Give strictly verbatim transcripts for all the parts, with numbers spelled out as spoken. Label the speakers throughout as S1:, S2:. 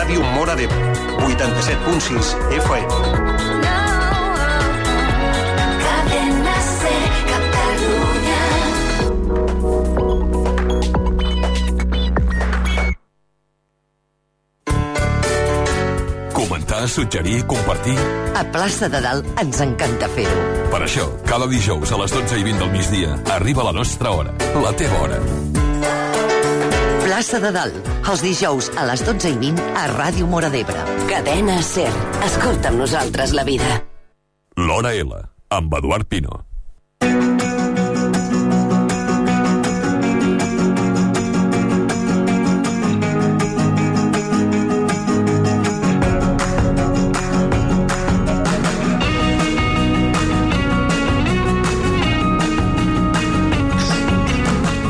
S1: Ràdio Móra d'Ebre, vuitanta-set punt sis F M.
S2: Comentar, suggerir, compartir...
S3: A Plaça de Dalt ens encanta fer-ho.
S2: Per això, cada dijous a les dotze i vint del migdia arriba la nostra hora, la teva hora.
S3: Plaça de Dalt, els dijous a les dotze i vint a Ràdio Móra d'Ebre. Cadena SER. Escolta amb nosaltres la vida.
S2: L'Hora L, amb Eduard Pino.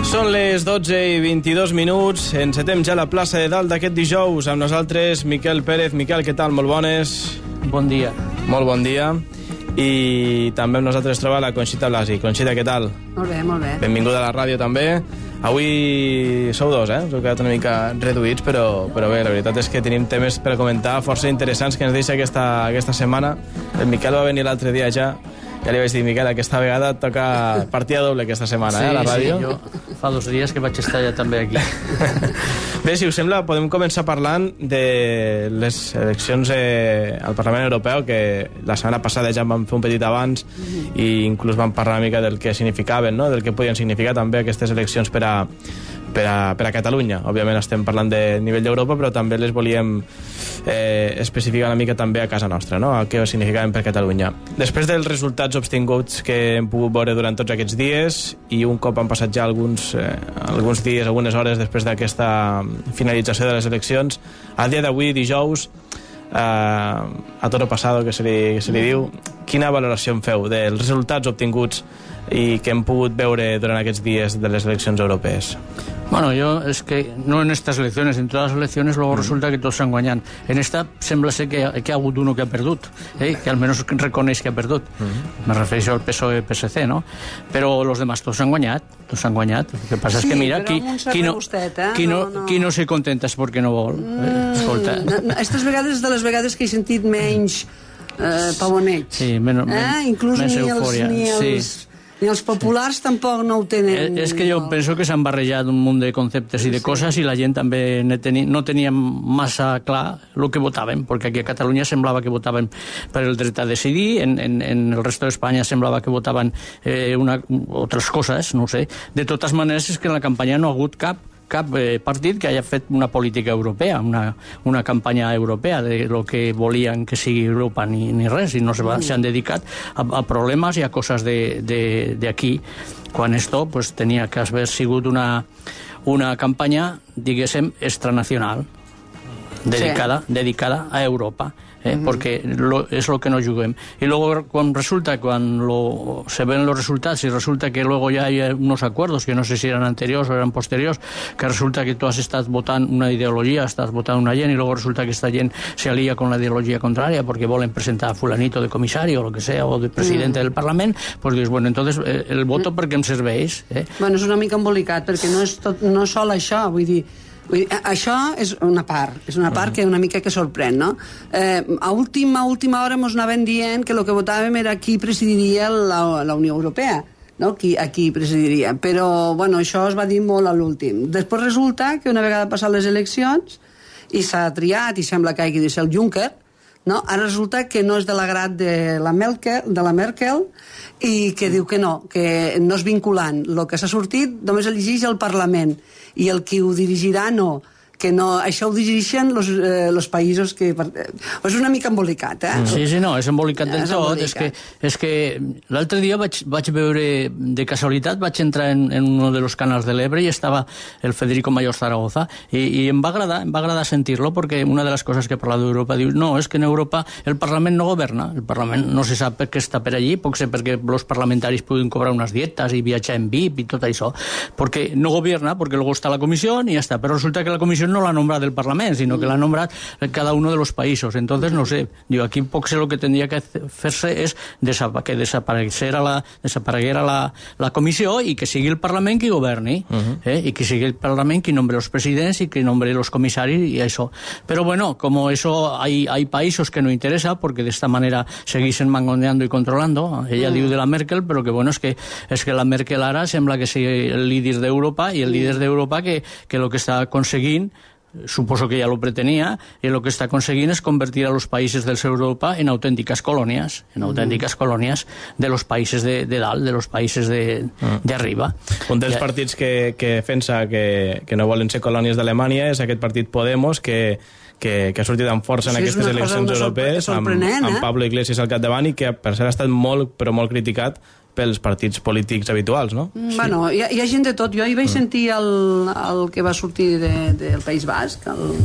S4: Són les dotze i vint-i-dos minuts. Encetem ja la plaça de Dalt d'aquest dijous. Amb nosaltres, Miquel Pérez. Miquel, què tal? Molt bones.
S5: Bon dia.
S4: Molt bon dia. I també amb nosaltres troba la Conxita Blasi. Conxita, què tal?
S6: Molt bé, molt bé.
S4: Benvinguda a la ràdio també. Avui sou dos, eh? Us heu quedat una mica reduïts, però, però bé, la veritat és que tenim temes per comentar força interessants que ens deixa aquesta, aquesta setmana. El Miquel va venir l'altre dia ja. Ja li vaig dir, Miquel, aquesta vegada toca partida doble aquesta setmana,
S5: sí,
S4: eh, a la ràdio.
S5: Sí, jo fa dos dies que vaig estar ja també aquí.
S4: Bé, si us sembla, podem començar parlant de les eleccions eh, al Parlament Europeu, que la setmana passada ja en vam fer un petit abans mm-hmm. i inclús vam parlar una mica del que significaven, no? Del que podien significar també aquestes eleccions per a, per a, per a Catalunya. Òbviament estem parlant de nivell d'Europa, però també les volíem eh, especificar una mica també a casa nostra, no? El que significaven per Catalunya. Després dels resultats obtinguts que hem pogut veure durant tots aquests dies i un cop han passat ja alguns, eh, alguns dies, algunes hores després d'aquesta finalització de les eleccions, a dia d'avui, dijous, eh, a toro passado, que se li, que se li diu, quina valoració en feu dels resultats obtinguts i que hem pogut veure durant aquests dies de les eleccions europees?
S5: Bueno, yo es que no en estas elecciones, en todas las elecciones luego mm. resulta que todos han guanyat. En esta sembla ser que, que ha hagut uno que ha perdut, eh? Que almenys reconeix que ha perdut. Mm. Me refereixo al P S O E P S C, ¿no? Però los demás tots han guanyat, tots han guanyat. El que passa sí, és que mira, qui, qui, no, gustet, eh? qui, no, no, no. qui no se contenta és perquè no vol. Mm. Eh, escolta.
S6: Aquestes vegades de les vegades que he sentit menys eh, pavoneig.
S5: Sí, menys,
S6: eh? Inclús
S5: menys
S6: ni
S5: eufòria.
S6: Els, ni els...
S5: Sí.
S6: Ni els populars tampoc no ho tenen.
S5: És que jo penso que s'han barrejat un munt de conceptes i de sí. coses i la gent també no tenia massa clar el que votaven, perquè aquí a Catalunya semblava que votaven per el dret a decidir, en, en, en el resto d'Espanya semblava que votaven eh, una, altres coses, no sé. De totes maneres és que en la campanya no ha hagut cap cap eh, partit que hagi fet una política europea, una, una campanya europea de lo que volien que sigui Europa ni, ni res, i no s'han se dedicat a, a problemes i a coses d'aquí, quan esto pues, tenia que haver sigut una, una campanya, diguéssim, extranacional, dedicada, sí. dedicada a Europa. Eh, uh-huh. Porque lo, es lo que no juguem. Y luego cuando resulta, cuando se ven los resultados y resulta que luego ya hay unos acuerdos, que no sé si eran anteriores o eran posteriores, que resulta que tú has estado votando una ideología, estás votando una gent, y luego resulta que esta gent se alía con la ideología contraria porque volen presentar a fulanito de comisario o lo que sea, o de presidente uh-huh. del Parlament, pues dius, bueno, entonces eh, el voto per què em serveix? Eh?
S6: Bueno, és una mica embolicat, perquè no és, tot, no és sol això, vull dir, Vull dir, això és una part, és una part uh-huh. que una mica que sorprèn, no? Eh, a última, última hora mos anaven dient que el que votàvem era qui presidiria la, la Unió Europea, no? Qui, a qui presidiria. Però, bueno, això es va dir molt a l'últim. Després resulta que una vegada passat les eleccions i s'ha triat, i sembla que hagi de ser el Juncker, no? Ara resulta que no és de l'agrat de la Merkel, de la Merkel, i que diu que no, que no és vinculant. El que s'ha sortit només el llegeix el Parlament, i el qui ho dirigirà no, que no, això ho dirigeixen els eh, països que... És una mica embolicat, eh?
S5: Sí, sí, no, és embolicat del és tot. Embolicat. És que, és que l'altre dia vaig, vaig veure, de casualitat, vaig entrar en, en un dels canals de l'Ebre i estava el Federico Mayor Zaragoza i, i em va agradar, em va agradar sentir-lo perquè una de les coses que parla d'Europa diu, no, és que en Europa el Parlament no governa, el Parlament no se sap per què està per allí, pot ser perquè els parlamentaris puguin cobrar unes dietes i viatjar en V I P i tot això, perquè no governa, perquè luego està la comissió i ja està, però resulta que la comissió Constitución no la nombra del Parlament, sino que la nombra cada uno de los países. Entonces, no sé, digo, aquí poc sé lo que tendría que fer-se és que desapareguera la, desapareguera la, la comissió i que sigui el Parlament qui governi, uh-huh. eh? I que sigui el Parlament qui nombre els presidents i qui nombre los comissaris i això. Però bueno, como eso hay, hay países que no interesa, porque de esta manera segueixen mangoneando y controlando. Ella uh-huh. diu de la Merkel, però que bueno, és que, és que la Merkel ara sembla que sigui el líder d'Europa i el líder d'Europa que, que lo que està aconseguint, suposo que ya lo pretenia, y lo que está consiguiendo es convertir a los países del sur de Europa en auténticas colonias, en auténticas mm. colonias de los países de, de dalt, de los países de, mm. de arriba.
S4: Un dels
S5: ja...
S4: partits que, que defensa que, que no volen ser colònies d'Alemanya és aquest partit Podemos, que que, que ha sortit amb força en sí, aquestes eleccions europees, amb, amb
S6: eh?
S4: Pablo Iglesias al capdavant, i que per cert ha estat molt, però molt criticat pels partits polítics habituals, no?
S6: Bueno, hi ha, hi ha gent de tot. Jo hi vaig sentir el, el que va sortir de, del País Basc, el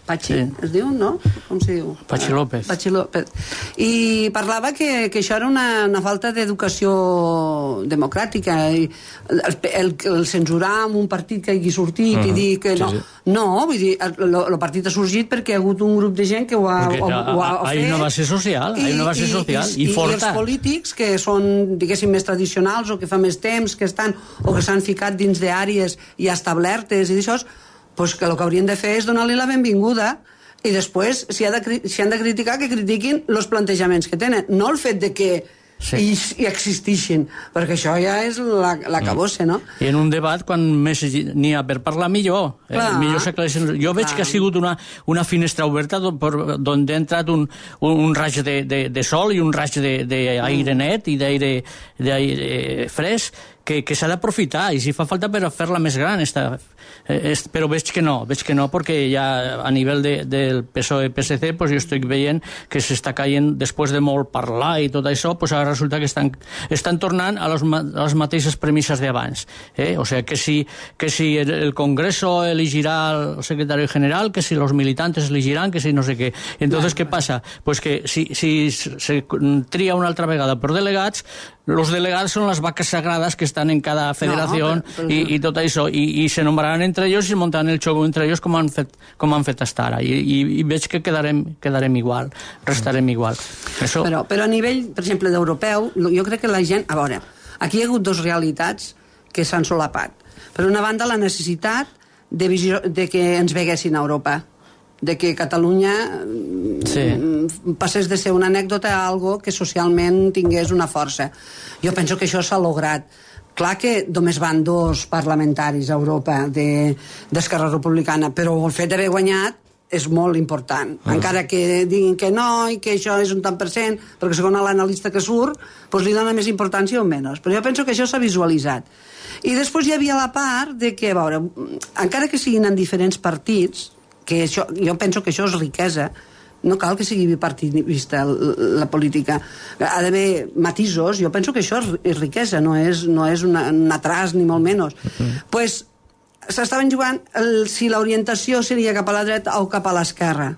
S6: Patxi, sí. es diu, no? Com se diu?
S5: Patxi López.
S6: Patxi López. I parlava que, que això era una, una falta d'educació democràtica. I el, el, el censurar amb un partit que hagi sortit uh-huh. i dir que no. Sí, sí. No, vull dir, el, el partit ha sorgit perquè hi ha hagut un grup de gent que ho ha, ho, ho ha fet.
S5: Hi ha una base social, hi ha una base social i, i, i forta. I els polítics
S6: que són, diguéssim, més tradicionals o que fa més temps que estan o que s'han ficat dins d'àrees ja establertes i d'això, pues que el que haurien de fer és donar-li la benvinguda i després, si, ha de, si han de criticar, que critiquin els plantejaments que tenen, no el fet de que sí. i, i existixin, perquè això ja és la, la cabossa, no?
S5: I en un debat, quan més n'hi ha per parlar, millor. Eh, millor s'aclareixen. Jo veig que ha sigut una, una finestra oberta on ha entrat un, un, un raig de, de, de sol i un raig d'aire net i d'aire fresc, que, que s'ha d'aprofitar, i si fa falta per fer-la més gran, esta, eh, però veig que no, veig que no, perquè ja a nivell de, del P S O E P S C pues jo estic veient que s'està caient, després de molt parlar i tot això, pues ara resulta que estan, estan tornant a les, a les mateixes premisses d'abans. Eh? O sigui, que si, que si el Congreso elegirà el secretari general, que si los militantes elegiran, que si no sé què. Entonces, què passa? Pues que si, si se tria una altra vegada per delegats, los delegats són les vaques sagrades que estan en cada federació no, però, però... i, i tot això, i, i se nombraran entre ells i muntaran el xoc entre ells com han fet, com han fet hasta ara, i, i, i veig que quedarem, quedarem igual, restarem igual. Això...
S6: Però, però a nivell, per exemple, d'europeu, jo crec que la gent... A veure, aquí hi ha hagut dues realitats que s'han solapat. Per una banda, la necessitat de, visió, de que ens veguessin a Europa, de que Catalunya sí. passés de ser una anècdota a algo que socialment tingués una força. Jo penso que això s'ha lograt. Clar que només van dos parlamentaris a Europa d'Esquerra Republicana, però el fet d'haver guanyat és molt important. Mm. Encara que diguin que no i que això és un tant per cent, perquè segons l'analista que surt, doncs li dona més importància o menys. Però jo penso que això s'ha visualitzat. I després hi havia la part de que, a veure, encara que siguin en diferents partits, que això, jo penso que això és riquesa, no cal que sigui bipartidista la política, ha d'haver matisos, jo penso que això és riquesa, no és, no és una, un atras ni molt menys. Mm. Pues s'estaven jugant el, si l'orientació seria cap a la dreta o cap a l'esquerra.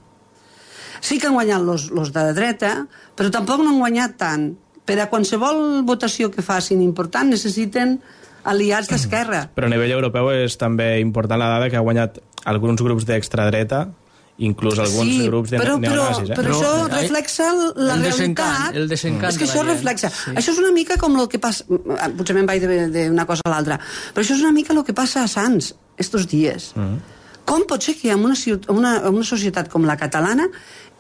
S6: Sí que han guanyat los, los de la dreta, però tampoc no han guanyat tant. Per a qualsevol votació que facin important necessiten aliats d'esquerra.
S4: Però a nivell europeu és també important la dada que ha guanyat alguns grups d'extradreta, inclús alguns
S6: sí,
S4: grups de
S6: però,
S4: neonazis. Eh?
S6: Però, però això reflexa la
S5: el
S6: realitat.
S5: El desencant
S6: és que
S5: de
S6: això
S5: la
S6: reflexa.
S5: Sí.
S6: Això és una mica com el que passa... Potser me'n vaig d'una cosa a l'altra. Però això és una mica el que passa a Sants estos dies. Mm -hmm. Com pot ser que en una, una, una societat com la catalana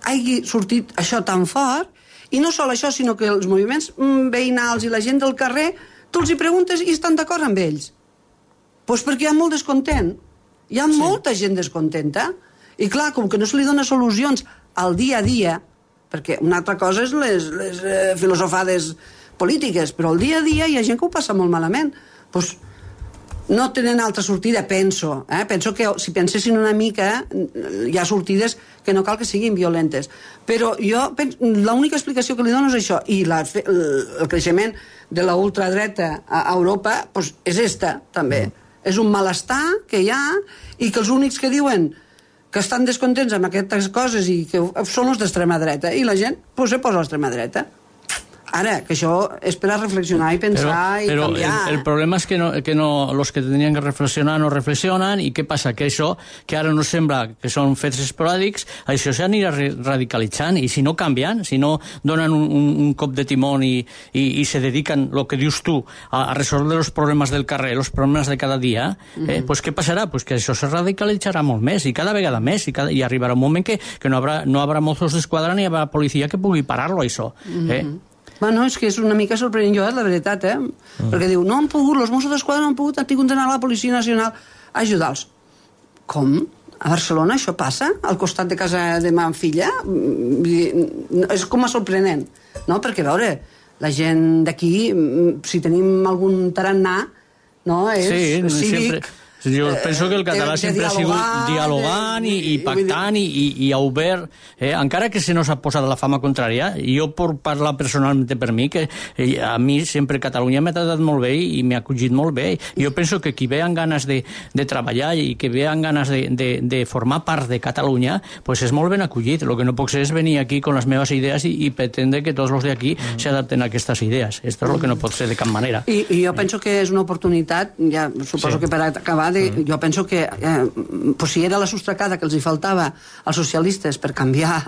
S6: hagi sortit això tan fort, i no sol això, sinó que els moviments veïnals i la gent del carrer, tu els hi preguntes i estan d'acord amb ells. Doncs pues perquè hi ha molt descontent. Hi ha sí. molta gent descontenta. I clar, com que no se li dona solucions al dia a dia, perquè una altra cosa és les, les eh, filosofades polítiques, però al dia a dia hi ha gent que ho passa molt malament. Doncs no tenen altra sortida, penso. Eh? Penso que si pensessin una mica hi ha sortides que no cal que siguin violentes. Però jo penso, l'única explicació que li dono és això, i la, el creixement de la ultradreta a Europa doncs és esta, també. Mm. És un malestar que hi ha i que els únics que diuen que estan descontents amb aquestes coses i que són els d'extrema dreta, i la gent pues, se posa a l'extrema dreta. Ara, que això és per a reflexionar i pensar
S5: però, però
S6: i canviar.
S5: El, el problema és que, no, que no, los que tenien que reflexionar no reflexionen, i què passa? Que això, que ara no sembla que són fets esporàdics, això s'anirà radicalitzant, i si no canvien, si no donen un, un, un cop de timón i, i, i se dediquen, el que dius tu, a, a resoldre els problemes del carrer, els problemes de cada dia, eh, mm-hmm. pues què passarà? Pues que això se radicalitzarà molt més, i cada vegada més, i, cada, i arribarà un moment que, que no haurà, no haurà Mossos d'Esquadra ni haurà policia que pugui parar-lo, això. Eh?
S6: Mm-hmm. Bueno, és que és una mica sorprenent jo, la veritat, eh? Mm. Perquè diu, no han pogut, els Mossos d'Esquadra no han pogut, han tingut d'anar a la Policia Nacional a ajudar-los. Com? A Barcelona això passa? Al costat de casa de ma filla? És com a sorprenent, no? Perquè, a veure, la gent d'aquí, si tenim algun tarannà, no? És
S5: sí,
S6: cívic...
S5: sempre... Jo penso que el català
S6: de, de
S5: sempre ha sigut dialogant
S6: de,
S5: i, i pactant i, i, i obert, eh? Encara que se nos ha posat la fama contrària. Jo puc parlar personalment per mi, que eh, a mi sempre Catalunya m'ha tratat molt bé i m'ha acollit molt bé. Jo penso que qui ve amb ganes de, de treballar i que ve amb ganes de, de, de formar part de Catalunya, pues és molt ben acollit. El que no puc ser és venir aquí con les meves idees i, i pretendre que tots els d'aquí mm. s'adapten a aquestes idees. Esto és el que no pot ser de cap manera.
S6: I, i jo penso que és una oportunitat, ja suposo sí. que per acabar, de, mm. jo penso que eh, pues si era la sostracada que els hi faltava als socialistes per canviar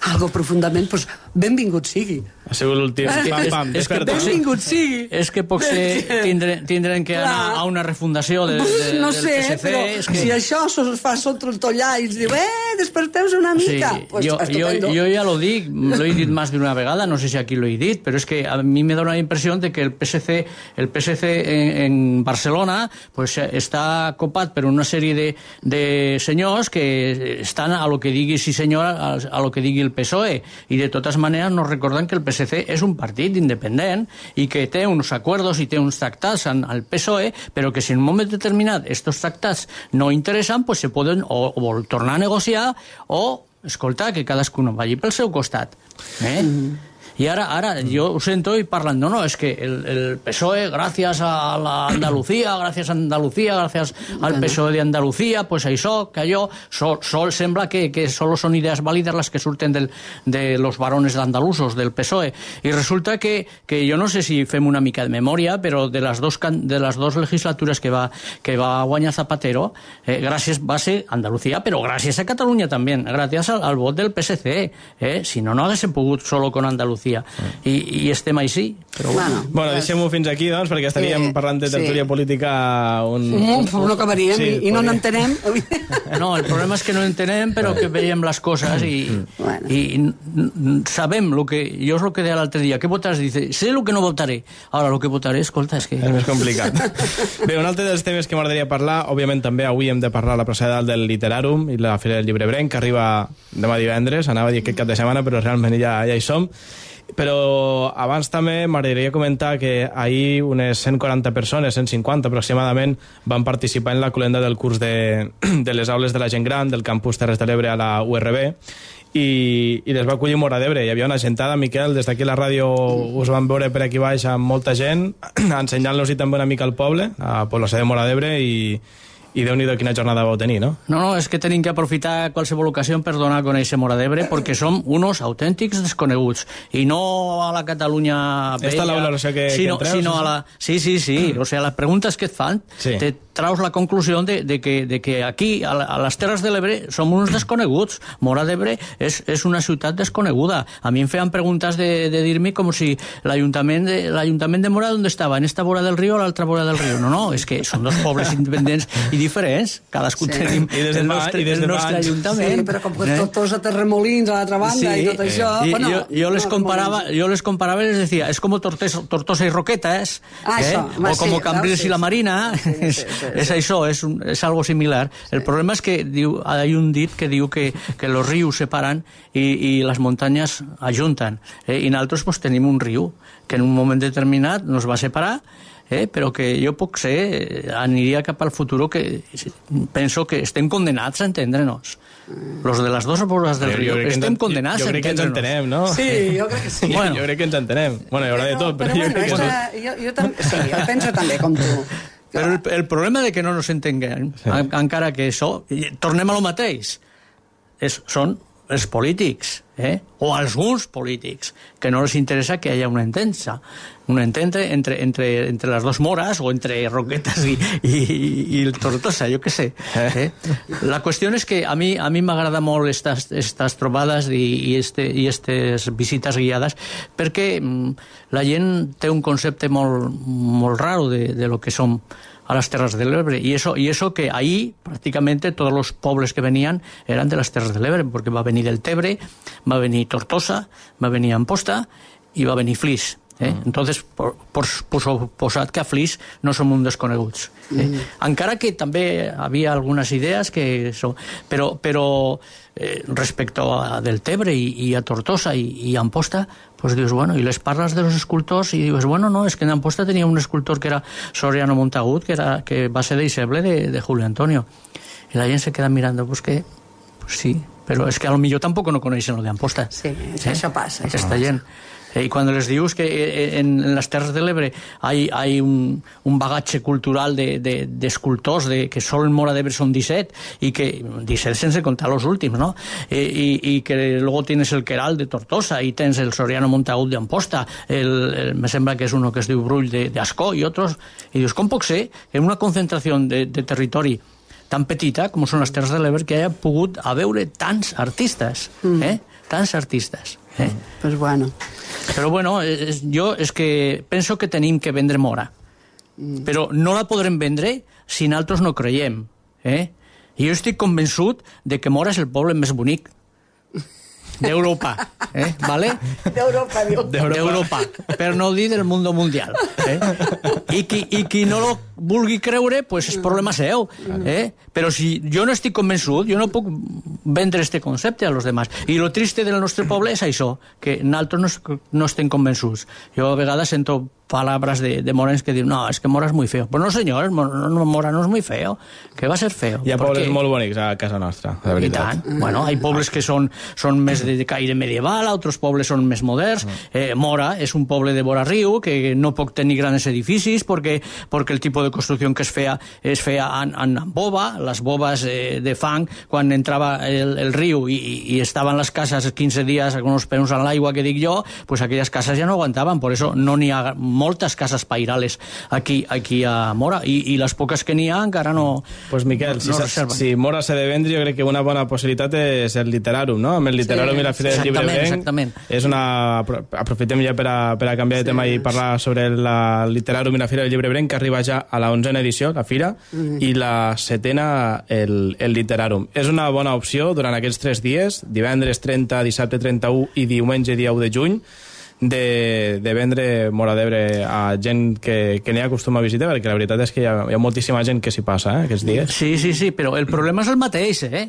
S6: algo profundament, pues benvingut sigui.
S4: Ha sigut l'últim. Pam, pam,
S5: és que
S6: benvingut sigui.
S5: És que potser tindre, tindrem que
S6: Clar.
S5: anar a una refundació de, de,
S6: no
S5: del
S6: sé,
S5: P S C.
S6: Però
S5: és que...
S6: si això es fa sota el tollar i ens diu, eh, desperteu-se una mica,
S5: sí,
S6: pues
S5: jo, jo, jo ja lo dic, lo he dit más de una vegada, no sé si aquí lo he dit, però és que a mi me dona la impressió de que el P S C, el P S C en, en Barcelona pues, està copat per una sèrie de, de senyors que estan a lo que digui sí senyor, a, a lo que digui el P S O E, i de totes maneres nos recorden que el P S C és un partit independent i que té uns acords i té uns tractats al P S O E, però que si en un moment determinat estos tractats no interessen, pues se poden o, o tornar a negociar o, escolta, que cadascú vagi pel seu costat. Eh? Mm-hmm. Y ahora, ahora yo ho sento y parlan, no, no, es que el, el P S O E, gracias a la Andalucía, gracias a Andalucía, gracias al P S O E de Andalucía, pues això, que allò, sol, sol sembla que, que solo son ideas válidas las que surten del, de los varones andalusos del P S O E. Y resulta que, que yo no sé si fem una mica de memòria, però de les dos, de les dos legislatures que va, que va guanyar Zapatero, eh, gràcies, va ser Andalucía, però gràcies a Catalunya també, gràcies al, al vot del P S C. Eh? Si no, no haguéssim pogut solo con Andalucía. I, i estem així. Però bueno,
S4: bueno, bueno deixem-ho fins aquí, doncs, perquè estaríem eh, parlant de tertúlia sí. política un...
S6: un, un no acabaríem sí, i, i no n'entenem.
S5: No, el problema és que no entenem, però que veiem les coses i, bueno. i sabem lo que... Jo és el que deia l'altre dia, què votaràs? Dice, sé el que no votaré. Ara, el que votaré, escolta, és que...
S4: És més complicat. Bé, un altre dels temes que m'agradaria parlar, òbviament també avui hem de parlar la procedal del Literàrum i la Fira del Llibre Brenc, que arriba demà divendres, anava a dir aquest cap de setmana, però realment ja, ja hi som. Però abans també m'agradaria comentar que ahir unes cent quaranta persones, cent cinquanta aproximadament, van participar en la cloenda del curs de, de les aules de la gent gran del campus Terres de l'Ebre a la U R B i, i les va acollir Móra d'Ebre. Hi havia una gentada, Miquel, des d'aquí a la ràdio us van veure per aquí baix amb molta gent, ensenyant-los-hi també una mica al poble, a població de Móra d'Ebre, i i Déu-n'hi-do quina jornada vau tenir, no?
S5: No, no, és que tenim que aprofitar qualsevol ocasió per donar a conèixer Móra d'Ebre, perquè som unos autèntics desconeguts, i no a la Catalunya bella...
S4: Esta és la valoració que,
S5: sino,
S4: que entreus?
S5: Sino a la... Sí, sí, sí, o sea, les preguntes que et fan, sí. te traus la conclusió de, de, que, de que aquí, a, a les Terres de l'Ebre, som uns desconeguts. Móra d'Ebre és, és una ciutat desconeguda. A mi em feien preguntes de, de dir-me com si l'Ajuntament de, l'Ajuntament de Móra, on estava? En esta vora del riu o l'altra vora del riu? No, no, és que són dos pobles independents i diferents. Cadascú sí. tenim
S4: I des de
S5: el
S4: fa,
S5: nostre,
S4: i des de
S5: el nostre ajuntament.
S6: Sí, però com que eh? tots a Terremolins a l'altra banda sí. i tot això...
S5: I,
S6: bueno,
S5: jo, jo, les
S6: no,
S5: comparava, jo les comparava i les decía, es como Tortes, Tortosa y Roquetas,
S6: ah,
S5: eh?
S6: això,
S5: o como
S6: sí,
S5: Cambrils
S6: sí,
S5: y la Marina,
S6: sí, sí, sí, sí,
S5: és
S6: sí.
S5: això, és, un, és algo similar. Sí. El problema és que diu, hay un dit que diu que, que los rius separan i, i les muntanyes ajunten. Eh? I nosaltres pues, tenim un riu que en un moment determinat nos va separar, eh? però que jo puc ser, aniria cap al futur que penso que estem condenats a entendre-nos. Los de les dues vores del riu estem
S4: ens,
S5: condenats
S4: jo, jo
S5: a
S4: crec que ens entenem, no?
S6: Sí, jo crec que sí.
S4: Bueno. Jo crec que ens entenem. Bueno, hi haurà de tot, però, però
S6: bueno,
S4: jo crec que...
S6: esta, jo, jo també, sí, jo penso també, com tu.
S5: Però el, el problema de que no nos entenguem, sí. encara que això, tornem a lo mateix, és, són els polítics, eh? o alguns polítics, que no les interessa que hi hagi una entesa, una entente entre, entre, entre les dues Mores o entre Roquetes i, i, i el Tortosa, jo què sé. Eh? La qüestió és que a mi a mi m'agrada molt estas, estas trobades i, i, este, i estes visites guiades, perquè mm, la gent té un concepte molt, molt raro de, de lo que som a las Terres del Ebre, y eso, y eso que ahí prácticamente todos los pueblos que venían eran de las Terres del Ebre, porque va a venir el Tebre, va a venir Tortosa, va a venir Amposta i va a venir Flix. Eh? Mm. Entonces, por, por, por posat que a Flix no som un desconeguts. Eh? Mm. Encara que també havia algunes idees que són... Però, però eh, respecto a del Tebre i, i a Tortosa i, i a Amposta, pues dius, bueno, y les parlas de los escultors y dius, bueno, no, es que en Amposta tenía un escultor que era Soriano Montagut, que, era, que va ser deixeble de, de Julio Antonio. Y la gent se queda mirando, pues que, pues sí, pero es que a lo millor tampoco no coneixen lo de Amposta.
S6: Sí, eh? això passa.
S5: Aquesta gent. Y cuando les dius que en, en las Terres del Ebre hay, hay un, un bagaje cultural de, de, de escultors de, que solo en Mora d'Ebre son disset y que disset sense contar los últimos, ¿no? Y, y, y que luego tienes el Queral de Tortosa y tienes el Soriano Montagut de Amposta, el, el, me sembla que es uno que es de Brull de, de Ascó y otros. Y dius, com pot ser que en una concentración de, de territori tan petita com són les Terres de l'Ebre que haya pogut a veure tants artistes, eh? Tants artistes. Eh?
S6: Pues bueno.
S5: Però bueno, es, jo és que penso que tenim que vendre Mora, mm. però no la podrem vendre si nosaltres no creiem. Eh? I jo estic convençut de que Mora és el poble més bonic d'Europa, eh? ¿Vale?
S6: D'Europa, diu.
S5: D'Europa, per no dir del mundo mundial. Eh? I, qui, I qui no lo vulgui creure, pues és problema seu. Eh? Però si jo no estic convençut, jo no puc vendre este concepte a los demás. I lo triste del nostre poble és això, que nosaltres no, no estem convençuts. Jo a vegades sento palabras de, de morens que diuen, no, es que Mora és muy feo. Pues no, senyor, Mora no és muy feo. Que va ser feo.
S4: Hi ha
S5: perquè...
S4: pobles molt bonics a casa nostra, de veritat.
S5: I tant. Bueno, hi ha pobles que són, són més de caire medieval, altres pobles són més moderns. Eh, Mora és un poble de vora riu que no pot tenir grans edificis perquè, perquè el tipus de construcció que es feia es feia en, en bova, les boves eh, de fang, quan entrava el, el riu i, i estaven les cases quinze dies con els peus en l'aigua, que dic jo, pues aquelles cases ja no aguantaven, por eso no n'hi ha moltes cases pairales aquí, aquí a Mora, i, i les poques que n'hi ha encara no
S4: pues Miquel, no, no si, si Mora s'ha de vendre, jo crec que una bona possibilitat és el Literàrum, no? Amb el Literàrum sí, i la Fira del Llibre Ebrenc és una... aprofitem ja per a, per a canviar de sí, tema i parlar sobre el Literàrum i la Fira del Llibre Ebrenc, que arriba ja a la onzena edició, la Fira, mm. i la setena, el, el Literàrum. És una bona opció durant aquests tres dies, divendres trenta, dissabte trenta-u i diumenge dia u de juny, de, de vendre Mora d'Ebre a gent que, que n'hi acostuma a visitar, perquè la veritat és que hi ha, hi ha moltíssima gent que s'hi passa, eh, aquests dies.
S5: Sí, sí, sí, però el problema és el mateix, eh?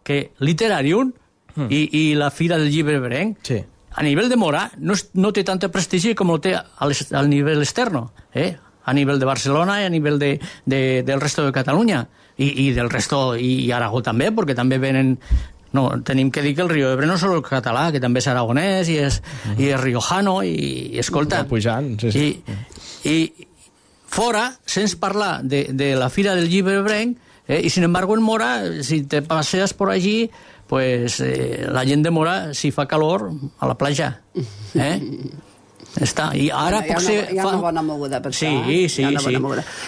S5: Que Literàrium mm. i, i la Fira del Llibre Ebrenc, sí. a nivell de Mora, no, no té tanta prestigi com el té al, al nivell externo, eh? A nivell de Barcelona i a nivell de, de, del resto de Catalunya, i, i del resto, i, i Aragó també, perquè també venen... No, tenim que dir que el Rio Ebre no és el català, que també és aragonès i és, uh -huh. i és riojano i, i escolta...
S4: Pujant, sí, sí.
S5: I, i fora, sense parlar de, de la Fira del Llibre Ebrenc, eh, i sin embargo en Mora, si te passeas por allí, pues eh, la gent de Mora, si fa calor, a la platja. Eh? Està. I ara
S6: hi ha,
S5: potser
S6: una, hi ha una bona moguda per
S5: sí,
S6: això.
S5: Sí,
S6: sí,
S5: sí.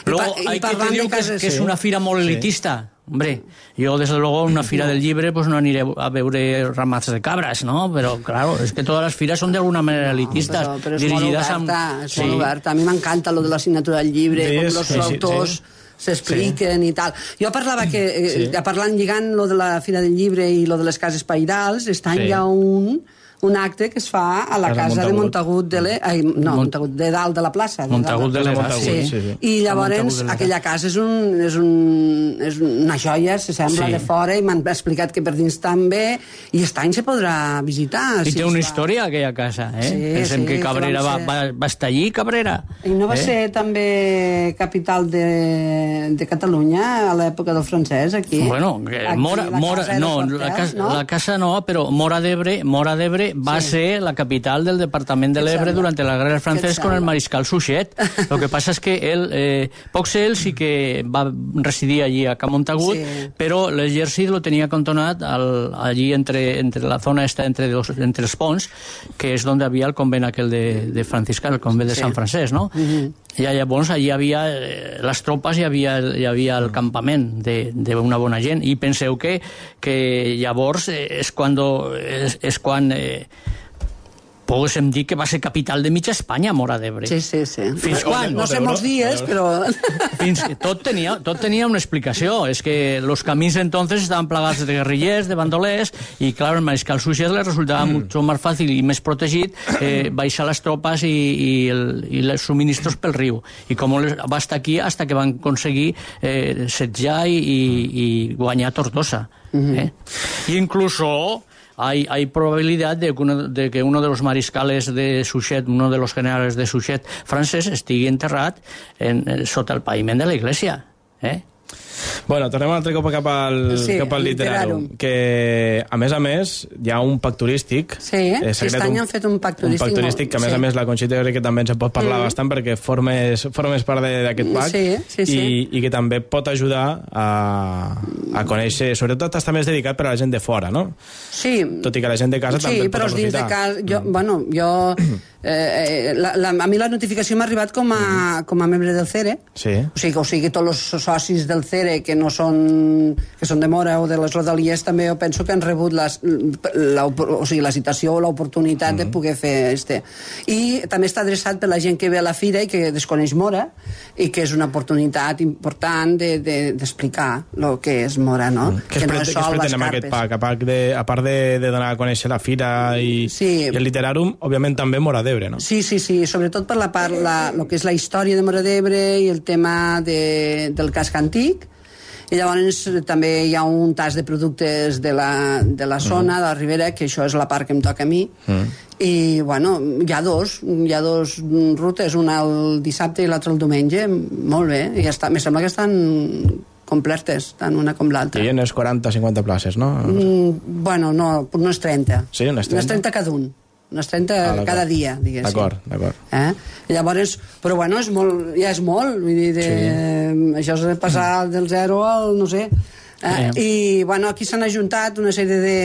S5: Luego hay que te digo que es, que es una fira molt elitista. Hombre, yo desde luego en una fira del Llibre pues no aniré a veure ramats de cabras, ¿no? Pero claro, es que todas las firas son de alguna manera elitistas,
S6: no, però, però és
S5: dirigidas
S6: molt oberta,
S5: a...
S6: és sí. molt oberta. A mi m'encanta lo de la signatura del llibre, sí, com els sí, autors sí, sí. s'expliquen sí. i tal. Jo parlava que, sí. eh, parlant, lligant lo de la Fira del Llibre i lo de les cases pairals, està sí. hi ha un... un acte que es fa a la casa, casa de Montagut de l'E... Ai, no, Mont... Montagut de dalt de la plaça. De
S5: Montagut de l'E...
S6: Sí. Sí, sí. I llavors aquella casa és, un, és, un, és una joia, se sembla, sí. de fora, i m'han explicat que per dins també, i aquest any se podrà visitar.
S5: I
S6: si
S5: té una
S6: va.
S5: història, aquella casa, eh?
S6: Sí,
S5: Pensem
S6: sí,
S5: que Cabrera
S6: que
S5: va,
S6: ser...
S5: va, va estar allí, Cabrera.
S6: I no va
S5: eh?
S6: ser també capital de, de Catalunya a l'època del francès, aquí?
S5: Bueno,
S6: aquí,
S5: Mora, Mora, no, la casa, no, la casa no, però Mora d'Ebre, Mora d'Ebre va
S6: sí.
S5: ser la capital del departament de l'Ebre durant la guerra del francès con el mariscal Suchet. Lo que passa és que ell, eh, pocs ell sí que va residir allí a Camontagut, sí. però l'exèrcit lo tenia cantonat al, allí entre, entre la zona esta, entre, dos, entre els ponts, que és on havia el convent aquell de, de franciscà, el convent de sí. Sant Francesc, no? Mm-hmm. I llavors allí hi havia eh, les tropes, hi havia, hi havia el campament d'una bona gent, i penseu que, que llavors eh, és, cuando, és, és quan eh, poguéssim dir que va ser capital de mitja Espanya, Móra d'Ebre.
S6: Sí, sí, sí.
S5: Fins quan?
S6: No sé molts dies, però...
S5: Fins, tot, tenia, tot tenia una explicació. És que los camins entonces estaven plagats de guerrillers, de bandolers, i, clar, el mariscal Suchet les resultava mm. mucho más fàcil i més protegit eh, baixar les tropes i, i, el, i els subministros pel riu. I com les, va estar aquí hasta que van aconseguir eh, setjar i, i, i guanyar Tortosa. Mm-hmm. eh? I incluso... Hay, hay probabilidad de que, uno, de que uno de los mariscales de Suchet, uno de los generales de Suchet francès, estigui enterrat en, en, sota el paviment de la iglesia. Eh?
S4: Bueno, tornem un altre cop cap al, sí, cap al Literarum, que a més a més hi ha un pack turístic.
S6: Sí, eh? Aquest any han fet un pack turístic.
S4: Un pack turístic que a més sí. a més la Conxita jo crec que també ens en pot parlar mm. bastant perquè formes, formes part d'aquest pack
S6: sí, sí, sí.
S4: I, i que també pot ajudar a, a conèixer, sobretot està més dedicat per a la gent de fora, no?
S6: Sí.
S4: Tot i que la gent de casa
S6: sí,
S4: també pot
S6: però
S4: aprofitar.
S6: Dins de casa, jo, mm. bueno, jo... Eh, la, la, a mi la notificació m'ha arribat com a, mm. com a membre del C E R E,
S4: sí.
S6: o sigui, o sigui, tots els socis del C E R E que no són, que són de Móra o de les rodalies també jo penso que han rebut les, la, o sigui, la citació o l'oportunitat mm. de poder fer este. I també està adreçat per la gent que ve a la fira i que desconeix Móra i que és una oportunitat important d'explicar de, de, el que és Móra, no? Mm.
S4: Que, que no és sol les carpes. Pack? A, pack de, a part de, de donar a conèixer la fira i, sí. i el Literarum, òbviament també Móra d'Ebre, no?
S6: Sí, sí, sí, sobretot per la part, la, lo que és la història de Móra d'Ebre i el tema de, del casc antic. I llavors també hi ha un tas de productes de la, de la zona, mm. de la Ribera, que això és la part que em toca a mi. Mm. I, bueno, hi ha dos, hi ha dos rutes, una el dissabte i l'altra el diumenge, molt bé, i ja està. Me sembla que estan completes, tant una com l'altra.
S4: I unes quaranta o cinquanta places, no?
S6: Mm, bueno, no, unes trenta.
S4: Sí, unes trenta?
S6: Unes trenta cada un. Unes trenta ah, cada dia, diguéssim.
S4: D'acord, d'acord.
S6: Eh? Llavors, però bueno, és molt, ja és molt, vull dir, de, sí. això és de passar del zero al, no sé. Eh? Sí. I, bueno, aquí s'han ajuntat una sèrie de,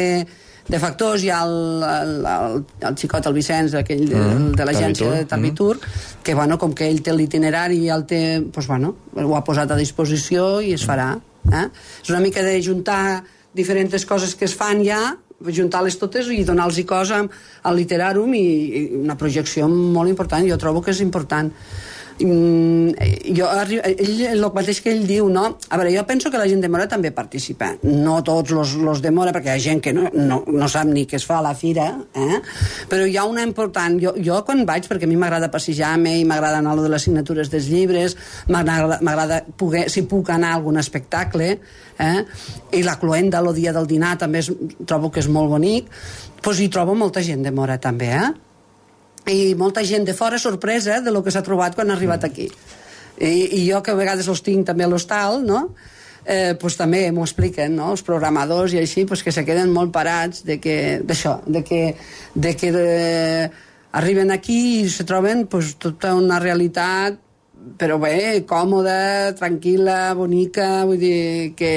S6: de factors. Hi ha el, el, el, el xicot, el Vicenç, aquell de, mm, de l'agència de Tabitur, mm. que, bueno, com que ell té l'itinerari i el té, doncs, bueno, ho ha posat a disposició i es farà. Eh? És una mica de juntar diferents coses que es fan ja, juntar-les totes i donar-los cosa al Literarum i, i una projecció molt important. Jo trobo que és important. Mm, jo, ell, el mateix que ell diu, no? A veure, jo penso que la gent de Móra també participa, no tots los, los de Móra, perquè hi ha gent que no, no, no sap ni què es fa a la fira, eh? Però hi ha una important, jo, jo quan vaig, perquè a mi m'agrada passejar-me i m'agrada anar a lo de les signatures dels llibres, m'agrada poder, si puc anar a algun espectacle, eh? I la cloenda, el dia del dinar també és, trobo que és molt bonic, doncs hi trobo molta gent de Móra també, eh? I molta gent de fora sorpresa de lo que s'ha trobat quan ha arribat aquí. I, i jo que a vegades els tinc també a l'hostal, no? Eh, pues també m'ho expliquen, no? Els programadors i així, pues que se queden molt parats de que, d'això, de que, de que de, arriben aquí i se troben pues, tota una realitat, però bé, còmoda, tranquil·la, bonica, vull dir que...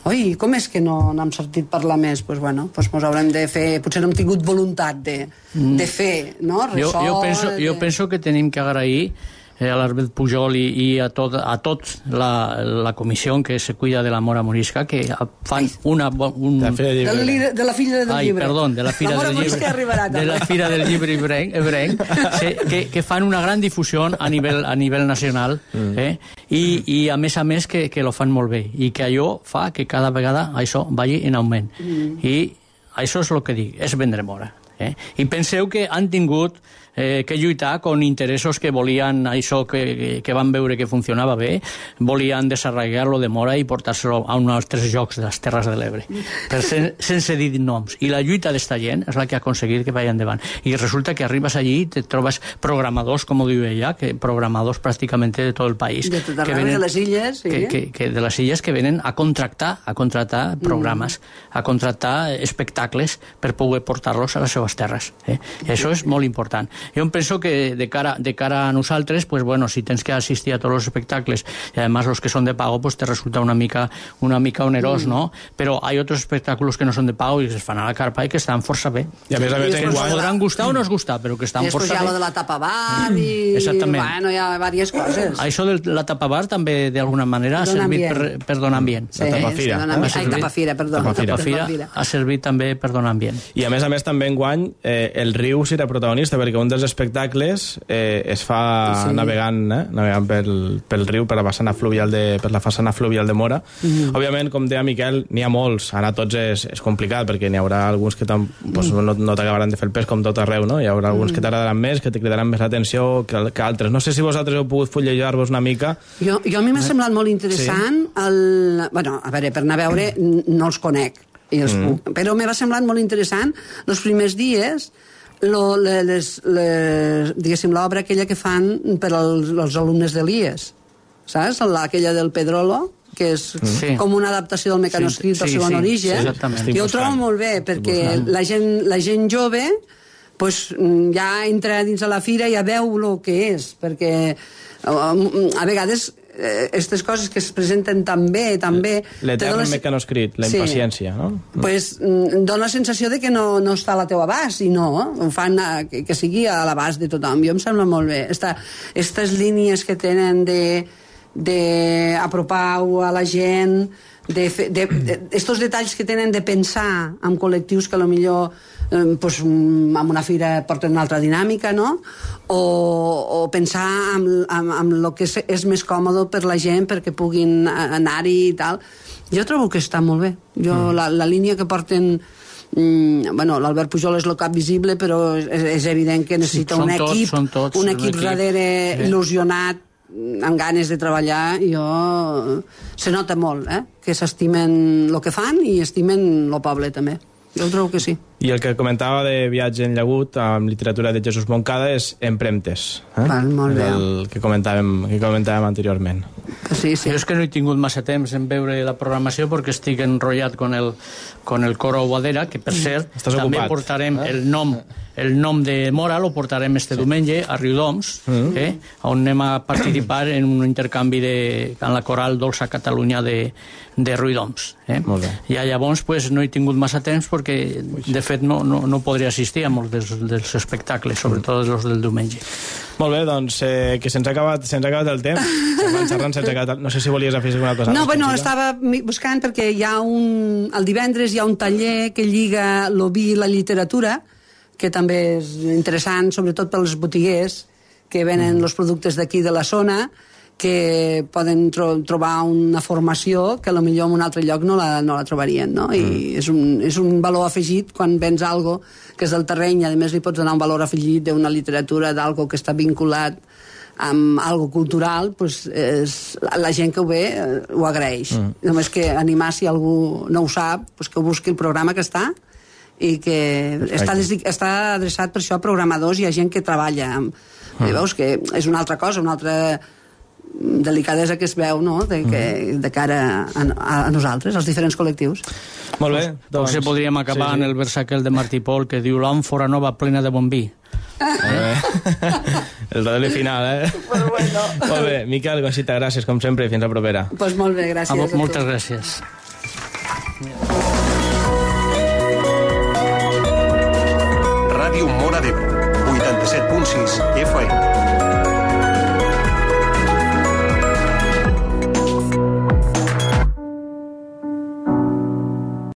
S6: Oi, com és que no n'hem sentit parlar més? Doncs pues bueno, pues mos haurem de fer... Potser no hem tingut voluntat de, mm. de fer, no? Ressò,
S5: jo, jo, penso, de... jo penso que tenim que agrair eh, a l'Arbet Pujol i, i a tot, a tot la, la comissió que se cuida de la Mora Morisca, que fan una... Un...
S6: De, de, de la filla del
S5: Ai,
S6: llibre.
S5: Perdó, de la fira
S6: la
S5: del llibre.
S6: Arribarà,
S5: de la fira del llibre ebrenc, sí, que, que fan una gran difusió a nivell, a nivell nacional, mm. eh? I, i a més a més que, que lo fan molt bé, i que allò fa que cada vegada això vagi en augment. Mm. I això és el que dic, és vendre Móra. Eh? I penseu que han tingut eh, que lluitar con interessos que volien això que, que van veure que funcionava bé, volien desarraigar-lo de Móra i portar-se-lo a uns altres jocs de les Terres de l'Ebre, sen, sense dir noms. I la lluita d'esta gent és la que ha aconseguit que vagi endavant. I resulta que arribes allí i te trobes programadors, com ho diu ella, que programadors pràcticament de tot el país.
S6: De tot arreu, de les illes, sí.
S5: Que, que, que de les illes que venen a contractar, a contractar programes, mm. a contractar espectacles per poder portar-los a les seves les terres. Eh? I això és molt important. Jo em penso que de cara, de cara a nosaltres, pues, bueno, si tens que assistir a tots els espectacles, i además los que són de pago, pues, te resulta una mica, una mica onerós, mm. ¿no? Però hi ha otros espectáculos que no són de pago i que es fan a la carpa i que estan força bé.
S4: I a més a més,
S5: que ens podran gustar o no es gustar, però que estan força bé.
S6: I després hi ha lo de la tapa bar i...
S5: Exactament.
S6: Bueno, hi ha diverses coses.
S5: Això de la tapa bar també, d'alguna manera, ha servit per, per donar ambient.
S6: Sí,
S4: la tapa fira.
S6: Sí, dona... Ai, tapa fira, perdó.
S4: Tapa fira.
S5: Tapa fira ha servit també per donar ambient.
S4: I a més a més també enguany eh, el riu serà protagonista, perquè un dels espectacles eh, es fa sí. navegant, eh, navegant pel, pel riu, per la façana fluvial de, per la façana fluvial de Mora. Mm. Òbviament, com deia Miquel, n'hi ha molts, anar tots és, és complicat, perquè n'hi haurà alguns que pues, no, no t'acabaran de fer el pes com tot arreu, no? Hi haurà alguns mm. que t'agradaran més, que te cridaran més l'atenció que, que altres. No sé si vosaltres heu pogut fullejar-vos una mica.
S6: Jo, jo a mi m'ha semblat molt interessant sí. el... Bueno, a veure, per anar a veure no els conec, i els mm. puc, però m'ha semblat molt interessant els primers dies lo, les, les, diguéssim, l'obra aquella que fan per als, als alumnes de l'I E S, saps? Aquella del Pedrolo, que és sí. com una adaptació del mecanoscrit sí, del segon sí, origen. Sí, jo ho trobo molt bé, perquè la gent, la gent jove pues, ja entra dins de la fira i ja veu el que és, perquè a vegades aquestes coses que es presenten tan bé, tan bé...
S4: L'etern mecanoscrit, la impaciència, sí. no?
S6: Pues dona la sensació de que no, no està a la teva abast, i no, ho fan a, que, que sigui a l'abast de tothom. Jo em sembla molt bé. Aquestes línies que tenen de d'apropar-ho a la gent, de fer, de, de, estos detalls que tenen de pensar en col·lectius que potser eh, pues, en una fira porten una altra dinàmica, no? O, o pensar en, en, en el que és, és més còmode per la gent perquè puguin anar-hi i tal. Jo trobo que està molt bé. Jo, mm. la, la línia que porten... Mm, bueno, l'Albert Pujol és el cap visible, però és, és evident que necessita sí, un equip, tots, tots, un equip darrere sí. il·lusionat, amb ganes de treballar. Jo... se nota molt, eh? Que s'estimen el que fan i estimen el poble, també. Jo trobo que sí.
S4: I el que comentava de Viatge en llagut amb literatura de Jesús Moncada és Empremtes, eh?
S6: Val, molt bé.
S4: El que comentàvem, que comentàvem anteriorment.
S6: Sí, sí.
S5: Jo és que no he tingut massa temps en veure la programació perquè estic enrotllat con el, con el coro Guadera, que per cert
S4: Estàs
S5: també
S4: ocupat,
S5: portarem
S4: eh?
S5: el nom el nom de Mora lo portarem este sí. diumenge a Riudoms, mm. eh, on anem a participar en un intercanvi de, en la coral Dolça Catalunya de, de Riudoms. Eh?
S4: Molt bé.
S5: I llavors pues, no he tingut massa temps perquè de fet no, no, no podria assistir a molts dels, dels espectacles, sobretot els del diumenge.
S4: Molt bé, doncs eh, que se'ns ha acabat, se'ns ha acabat el temps. Xerrant, se'ns ha acabat el... No sé si volies afegir alguna cosa.
S6: No, bueno, estava buscant perquè hi ha un... El divendres hi ha un taller que lliga el vi i la literatura, que també és interessant, sobretot pels botiguers que venen els productes d'aquí de la zona, que poden tro trobar una formació que potser en un altre lloc no la, no la trobarien, no? I mm. és, un, és un valor afegit quan vens algo que és del terreny, i a més li pots donar un valor afegit d'una literatura, d'algo que està vinculat amb algo cultural, pues és, la gent que ho ve eh, ho agraeix. Mm. Només que animar, si algú no ho sap, pues que ho busqui el programa que està, i que està, està adreçat per això a programadors i a gent que treballa amb, mm. i veus que és una altra cosa, una altra delicadesa que es veu, no?, de, que, de cara a, a, a nosaltres, als diferents col·lectius.
S4: Molt bé.
S5: Doncs, doncs podríem acabar sí, sí. en el vers aquell de Martí Pol que diu l'àmfora nova plena de bon vi.
S4: Eh? El redoli final, eh?
S6: Pues bueno.
S4: Molt bé. Miquel Gonsita, gràcies, com sempre, i fins la propera.
S6: Pues molt bé, gràcies a,
S5: a, a moltes gràcies.
S1: Ràdio Móra d'Ebre, vuitanta-set punt sis F M.